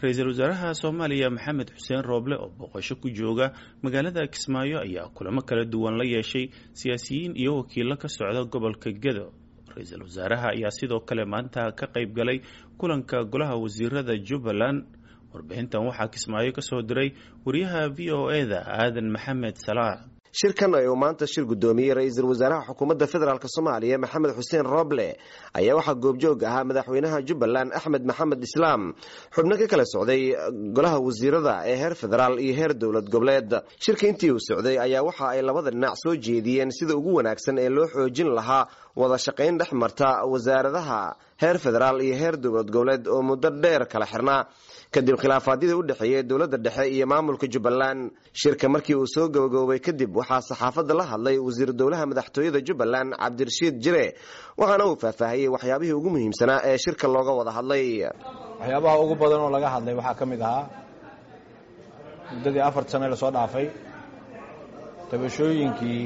Ra-iisul wasaaraha Soomaaliya Maxamed Xuseen Rooble oo booqasho ku jooga magaalada Kismaayo ayaa kulamo kala duwan la yeeshay siyaasiyiin iyo wakiilo ka socda gobolka Gedo. Ra-iisul wasaaraha ayaa sidoo kale maanta ka qayb galay kulanka golaha wasiirada Jubbaland. Warbixintan waxaa Kismaayo ka soo diray wariyaha VOA-da Aadan Maxamed Salaax. Shirkan ay uu maanta shir guddoomiyey ra-iisul wasaaraha xukuumadda federaalk Soomaaliya Maxamed Xuseen Rooble ayaa waxaa goobjoog ahaa madaxweynaha Jubbaland Axmed Maxamed Islaam, xubno ka kala socday golaha wasiirada ee heer federaal iyo heer dowlad goboleed. Shirka intii uu socday ayaa waxa ay labada dhinac soo jeediyeen sida ugu wanaagsan ee loo xoojin lahaa wada shaqayn dhex marta wasaaradaha heer federaal iyo heer dowlad goboleed oo muddo dheer kala xirnaa kadib khilaafaadyadii u dhexeeyey dowladda dhexe iyo maamulka Jubbaland. Shirka markii uu soo gabagaboobay kadib waxaa saxaafadda la hadlay wasiir dowlaha madaxtooyada Jubbaland Cabdirashiid Jire, waxaana uu faahfaahiyey waxyaabihii ugu muhiimsanaa ee shirka looga wada hadlay. Waxyaabaha ugu badan oo laga hadlay waxaa ka mid ahaa muddadii 4 sane lasoo dhaafay tabashooyinkii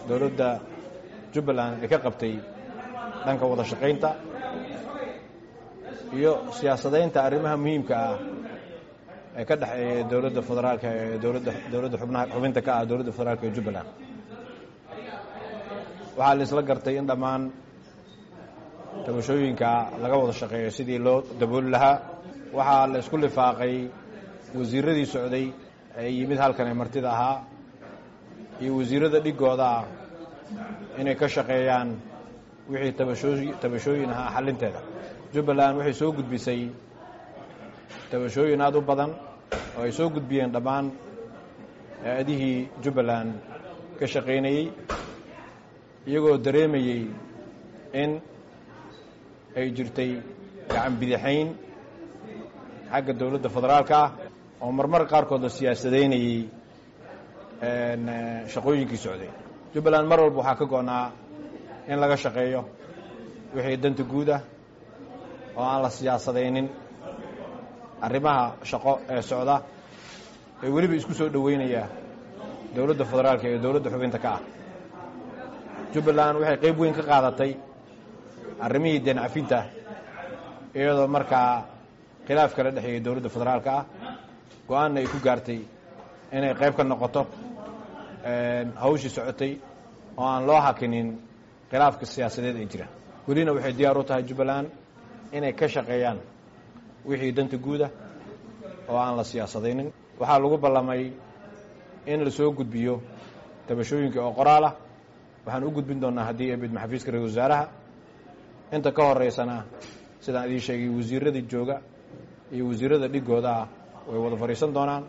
dowladda Jubbaland ay ka qabtay dhanka wada shaqaynta iyo siyaasadaynta arrimaha muhiimka ah ee ka dhexeeya dowladda federaalka ee dowladda xubnaha xubinta ka ah dowladda federaalka ee Jubbaland. Waxaa la isla gartay in dhammaan tabashooyinka laga wada shaqeeyo sidii loo dabooli lahaa. Waxaa la isku lifaaqay wasiiradii socday ee yimid halkan ee martida ahaa iyo wasiirada dhigooda ah inay ka shaqeeyaan wixii tabashooyin ahaa xalinteeda. Jubbaland waxay soo gudbisay tabashooyin aad u badan oo ay soo gudbiyeen dhammaan hay-adihii Jubbaland ka shaqaynayey, iyagoo dareemayey in ay jirtay gacan bidixayn xagga dowladda federaalka ah oo marmar qaarkood la siyaasadaynayey shaqooyinkii socday. Jubbaland mar walba waxaa ka go'naa in laga shaqeeyo wixii danta guud ah oo aan la siyaasadaynin arrimaha shaqo ee socda ee weliba isku soo dhoweynaya dowladda federaalka iyo dowladda xubinta ka ah. Jubbaland waxay qayb weyn ka qaadatay arrimihii deen cafinta, iyadoo markaa khilaaf kala dhexeeyey dowladda federaalka ah go-aanna ay ku gaartay inay qayb ka noqoto hawshii socotay oo aan loo hakinin khilaafka siyaasadeed ee jira. Welina waxay diyaar u tahay Jubbaland inay ka shaqeeyaan wixii danta guuda oo aan la siyaasadaynin. Waxaa lagu ballamay in la soo gudbiyo tabashooyinka oo qoraal ah. Waxaan u gudbin doonaa haddii ay bidmo xafiiska ra-iisul wasaaraha. Inta ka horeysana, sidaan idiin sheegay, wasiiradii jooga iyo wasiirada dhigooda ah way wada fadhiisan doonaan.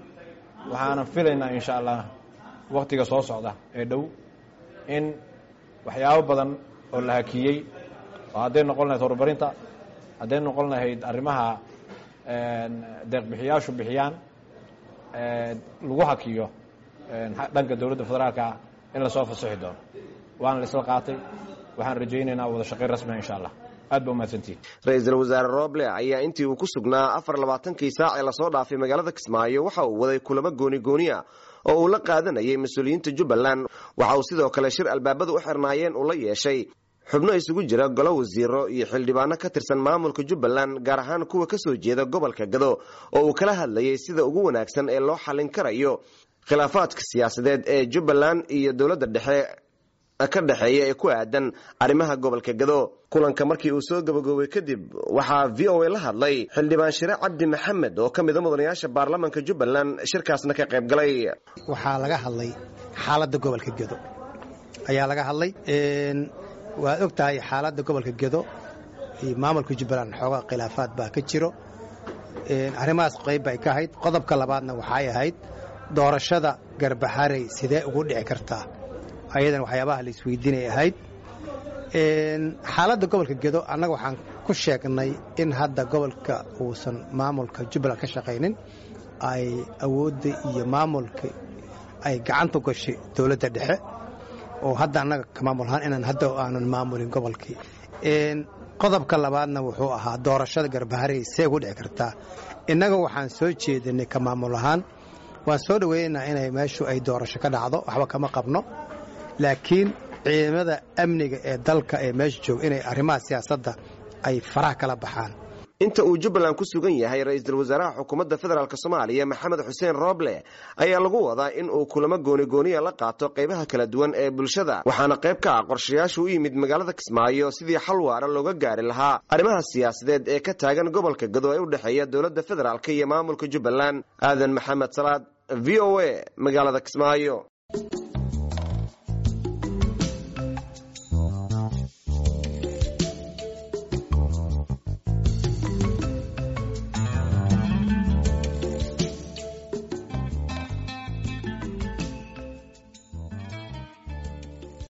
Waxaana filaynaa insha Allah wakhtiga soo socda ee dhow in waxyaabo badan oo la hakiyey oo hadday noqon lahayd horumarinta, hadday noqon lahayd arrimaha deeqbixiyaashu bixiyaan lagu hakiyo dhanka dowladda federaalka in lasoo fasixi doono. Waana la isla qaatay. Waxaan rajaynaynaa wada shaqayn rasmiga insha Allah. Aad ba umahadsantihin. Ra-iisul wasaare Rooble ayaa intii uu ku sugnaa 24kii saac ee lasoo dhaafay magaalada Kismaayo waxa uu waday kulamo gooni gooniya oo uu la qaadanayay mas-uuliyiinta Jubbaland. Waxa uu sidoo kale shir albaabada u xirnaayeen uu la yeeshay xubno isugu jira golo wasiiro iyo xildhibaano ka tirsan maamulka Jubbaland, gaar ahaan kuwa ka soo jeeda gobolka Gado, oo uu kala hadlayay sida ugu wanaagsan ee loo xallin karayo khilaafaadka siyaasadeed ee Jubbaland iyo dowladda dhexe ka dhexeeya ee ku aadan arrimaha gobolka Gado. Kulanka markii uu soo gabagaboobay kadib waxaa VOA la hadlay xildhibaan Shire Cabdi Maxamed oo ka mida mudanayaasha baarlamaanka Jubbaland, shirkaasna ka qayb galay. Waxaa laga hadlay xaaladda gobolka Gedo ayaa laga hadlay. Waad og tahay xaaladda gobolka Gedo iyo maamulka Jubbaland xoogaa khilaafaad baa ka jiro. Arrimahaas qayb bay ka ahayd. Qodobka labaadna waxay ahayd doorashada Garbaharey sidee ugu dhici kartaa, ayadan waxyaabaha la isweydiinay ahayd. Xaaladda gobolka Gedo annaga waxaan ku sheegnay in hadda gobolka uusan maamulka Jubbaland ka shaqaynin, ay awoodda iyo maamulka ay gacanta gashay dowladda dhexe, oo hadda annaga ka maamul ahaan inaan hadda aanan maamulin gobolkii. Qodobka labaadna wuxuu ahaa doorashada Garbaharey see ugu dhici kartaa. Innaga waxaan soo jeedinay ka maamul ahaan waan soo dhoweynaynaa inay meeshu ay doorasho ka dhacdo, waxba kama qabno, laakiin ciidamada amniga ee dalka ee meesha jooga inay arrimaha siyaasadda ay faraha kala baxaan. Inta uu Jubbaland ku sugan yahay ra-iisul wasaaraha xukuumadda federaalk Soomaaliya Maxamed Xuseen Rooble ayaa lagu wadaa in uu kulamo goonigooniya la qaato qaybaha kala duwan ee bulshada, waxaana qayb ka ah qorshayaashu u yimid magaalada Kismaayo sidii xal waara looga gaari lahaa arrimaha siyaasadeed ee ka taagan gobolka Gado ee u dhexeeya dowladda federaalk iyo maamulka Jubbaland. Aadan Maxamed Salaad, V O A, magaalada Kismaayo.